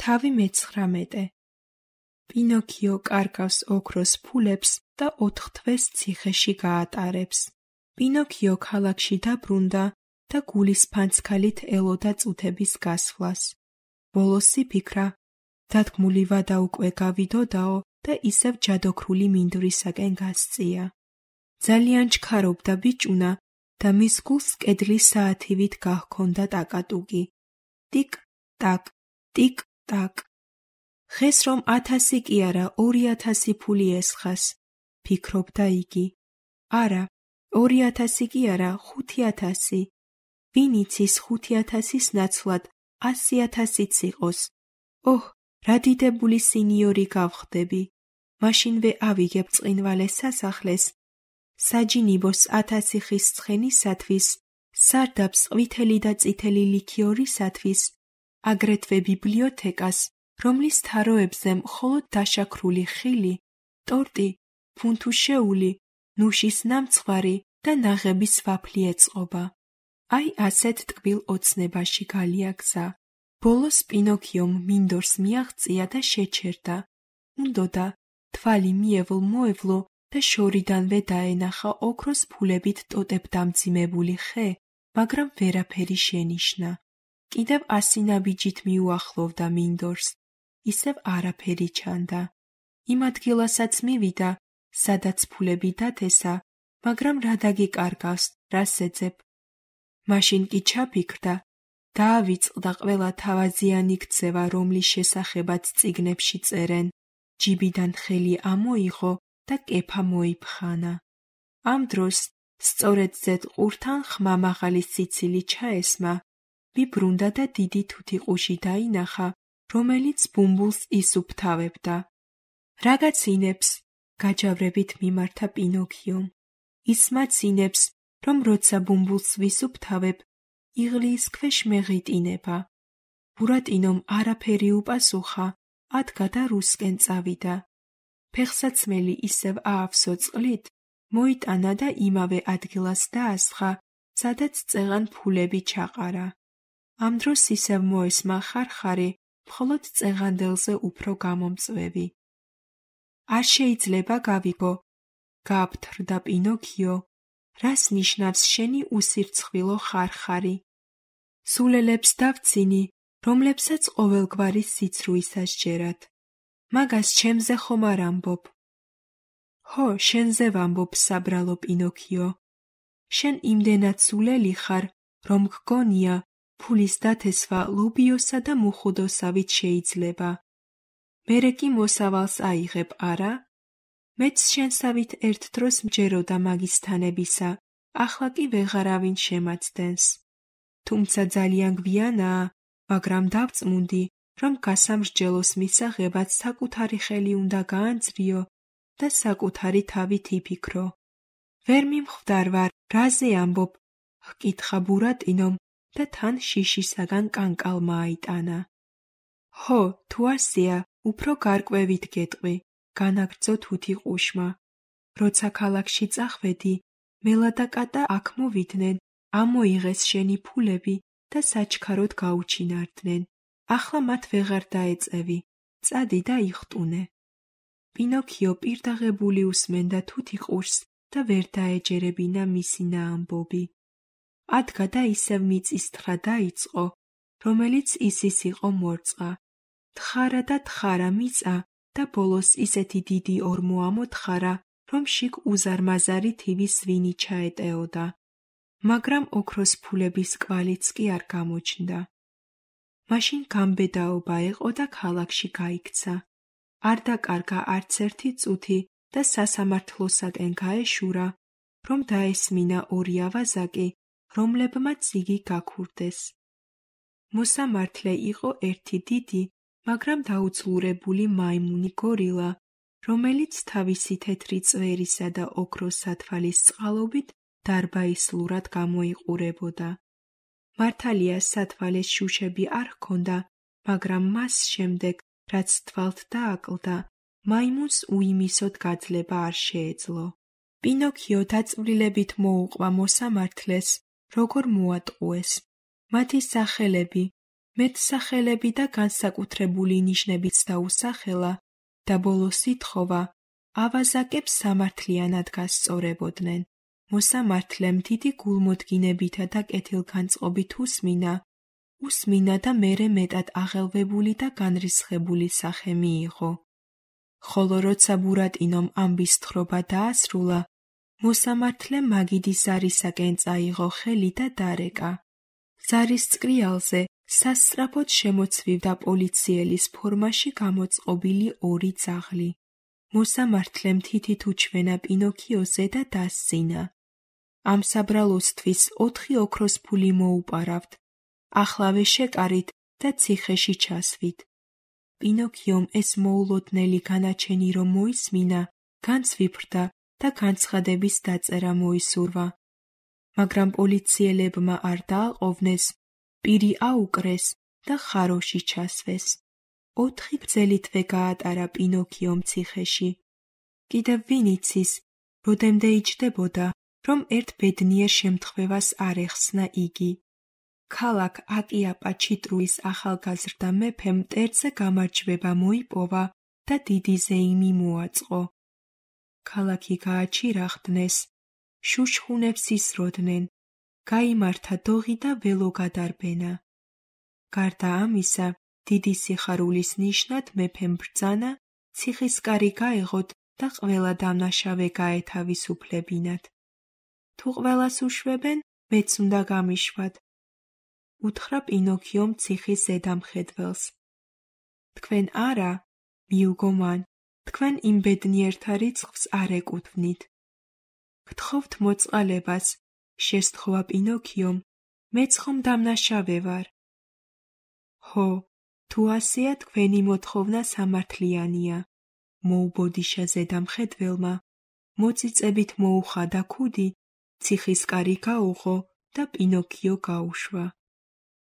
თავი 19. პინოქიო კარგავს ოქროს ფულებს და 4 თვეს ციხეში გაატარებს. პინოქიო ქალაქში დაბრუნდა და გულის ფანცქალით ელოდა წუთების გასვლას. ბოლოს იფიქრა, დადგმული ვადა უკვე გავიდოდაო და ისევ ჯადოქრული მინდვრისაკენ გასწია. ძალიან ჩქარობდა ბიჭუნა და მის გულს კედლის საათივით გაჰქონდა ტაკატუკი. ტიკ-ტაკ, ტიკ-ტაკ. ხეს რომ 1000 კი არა 2000 ფული ესხას, ფიქრობდა იგი. არა, 2000 კი არა 5000. ვინ იცის 5000-ის ნაცვლად 100,000-იც იყოს. ოჰ, რა დიდებული სინიორი გავხდები. მაშინვე ავიგებ წყინვალეს სასახლეს. საჯინიბოს 1000 ხის ცხენისათვის, სარდაფს ყვითელი და წითელი ლიქიორისათვის, აგრეთვე ბიბლიოთეკას, რომლის თაროებზე მხოლოდ დაშაქრული ხილი, ტორტი, ფუნთუშეული, ნუშის ნამცხვარი და ნაღების ვაფლი ეწყობა. აი ასეთ ტკბილ ოცნებაში გალიაგზა. ბოლოს პინოქიომ მინდორს მიაღწია და შეჩერდა. უნდოდა თვალი მიევლ-მოევლო და შორიდანვე დაენახა ოქროს ფულებით ტოტებ დამძიმებული ხე, მაგრამ ვერაფერი შენიშნა. კიდევ 100 ნაბიჯით მიუახლოვდა მინდორს. ისევ არაფერი ჩანდა. იმ ადგილასაც მივიდა, სადაც ფულები დათესა, მაგრამ რა დაგიკარგავს, რას ეძებ? მაშინ კი ჩაფიქრდა, დაავიწყდა ყველა თავაზიანი ქცევა, რომლის შესახებაც წიგნებში წერენ. ჯიბიდან ხელი ამოიღო და კეფა მოიფხანა. ამ დროს სწორედ ზედ ყურთან ხმამაღალი სიცილი ჩაესმა, ვიბრუნდა და დიდი თუთიყუში დაინახა, რომელიც ბუმბულს ისუფთავებდა. „რაღაცინებს“, გაჯავრებით მიმართა პინოქიომ. ის მაცინებს, რომ როცა ბუმბულს ვისუფთავებ, იღლიის ქვეშ მეღიტინება. ბურატინომ არაფერი უპასუხა, ადგა და რუსკენ წავიდა. ფეხსაცმელი ისევ აავსო წყლით, მოიტანა და იმავე ადგილას დაასხა, სადაც წეღან ფულები ჩაყარა. ამ დროს ისევ მოესმა ხარხარი, მხოლოდ წეღანდელზე უფრო გამომწვევი. „არ შეიძლება გავიგო“, გააფთრდა პინოქიო. „რას ნიშნავს შენი უსირცხვილო ხარხარი? სულელებს დავცინი, რომლებსაც ყოველგვარი სიცრუისა სჯერათ. მაგას ჩემზე ხომ არ ამბობ?“ „ჰო, შენზე ვამბობ, საბრალო პინოქიო. შენ იმდენად სულელი ხარ, რომ გგონია, ფულის დათესვა ლობიოსა და მუხუდოსავით შეიძლება. მერე კი მოსავალს აიღებ, არა? მეც შენსავით ერთ დროს მჯეროდა მაგის თანებისა, ახლა კი ვეღარავინ შემაცდენს. თუმცა ძალიან გვიანაა, მაგრამ დავწმუნდი, რომ გასამრჯელოს მისაღებად საკუთარი ხელი უნდა გაანძრიო და საკუთარი თავით იფიქრო. ვერ მიმხვდარ ვარ, რაზე ამბობ? ჰკითხა ბურატინომ და თან შიშისაგან კანკალმა აიტანა. „ჰო, თუ ასეა, უფრო გარკვევით გეტყვი“, განაგრძო თუთიყუშმა. „როცა ქალაქში წახვედი, მელა და კატა აქ მოვიდნენ, ამოიღეს შენი ფულები და საჩქაროდ გაუჩინარდნენ. ახლა მათ ვეღარ დაეწევი, წადი და იხტუნე“. პინოქიო პირდაღებული უსმენდა თუთიყუშს და ვერ დაეჯერებინა მისი ნაამბობი. ადგა და ისევ მიწისთხრა დაიწყო, რომელიც ისის იყო მორწყა. თხარა და თხარა მიწა და ბოლოს ისეთი დიდი ორმო ამოთხარა, რომ შიგ უზარმაზარი თივის ვინი ჩაეტეოდა. მაგრამ ოქროს ფულების კვალიც კი არ გამოჩნდა. მაშინ გამბედაობა ეყო და ქალაქში გაიქცა. არ დაკარგა არც ერთი წუთი და სასამართლოსაკენ გაეშურა, რომ დაესმინა 2 ავაზაკი, რომლებმაც იგი გაქურდეს. მოსამართლე იყო ერთი დიდი, მაგრამ დაუძლურებული მაიმუნი გორილა, რომელიც თავისი თეთრი წვერისა და ოქროს სათვალის წყალობით დარბაისლურად გამოიყურებოდა. მართალია სათვალეს შუშები არ ჰქონდა, მაგრამ მას შემდეგ, რაც თვალთ დააკლდა, მაიმუნს უიმისოდ გაძლება არ შეეძლო. პინოქიო დაწვრილებით მოუყვა მოსამართლეს, როგორ მოატყუეს. მათი სახელები, მეტსახელები და განსაკუთრებული ნიშნებიც დაუსახელა და ბოლოს ითხოვა, ავაზაკებს სამართლიანად გასწორებოდნენ. მოსამართლემ დიდი გულმოდგინებითა და კეთილგანწყობით უსმინა და მერე მეტად აღელვებული და განრისხებული სახე მიიღო. ხოლო როცა ბურატინომ ამბის თხრობა დაასრულა, მოსამართლემ მაგიდის ზარისაკენ წაიღო ხელი და დარეკა. ზარის წკრიალზე სასწრაფოდ შემოცვივდა პოლიციელის ფორმაში გამოწყობილი ორი ძაღლი. მოსამართლემ თითით უჩვენა პინოქიოზე და დასძინა. ამ საბრალოსთვის 4 ოქროს ფული მოუპარავთ. ახლავე შეკარით და ციხეში ჩასვით. პინოქიომ ეს მოულოდნელი განაჩენი რომ მოისმინა, განცვიფრდა და განცხადების დაწერა მოისურვა. მაგრამ პოლიციელებმა არ დააყოვნეს, პირი აუკრეს და ხაროში ჩასვეს. 4 გრძელი თვე გაატარა პინოქიომ ციხეში. კიდევ ვინ იცის, როდემდე იჯდებოდა, რომ ერთ ბედნიერ შემთხვევას არ ეხსნა იგი. ქალაქ აკიაპა ჩიტრუის ახალგაზრდა მეფემ მტერზე გამარჯვება მოიპოვა და დიდი ზეიმი მოაწყო. ქალაქი გააჩირახდნეს, შუშხუნებს ისროდნენ, გაიმართა დოღი და ველო გადარბენა. გარდა ამისა, დიდი სიხარულის ნიშნად მეფემ ბრძანა, ციხისკარი გაეღოთ და ყველა დამნაშავე გაეთავისუფლებინათ. თუ ყველას უშვებენ, მეც უნდა გამიშვათ. უთხრა პინოქიომ ციხის ზედამხედველს. თქვენ არა, მიუგო მან, თქვენ იმ ბედნიერთა რიცხვს არ ეკუთვნით. გთხოვთ მოწყალებას, შესთხოვა პინოქიომ, მეც ხომ დამნაშავე ვარ. ჰო, თუ ასეა თქვენი მოთხოვნა სამართლიანია, მოუბოდიშა ზედამხედველმა, მოწიწებით მოუხადა ქუდი, ციხისკარი გაუღო და პინოქიო გაუშვა.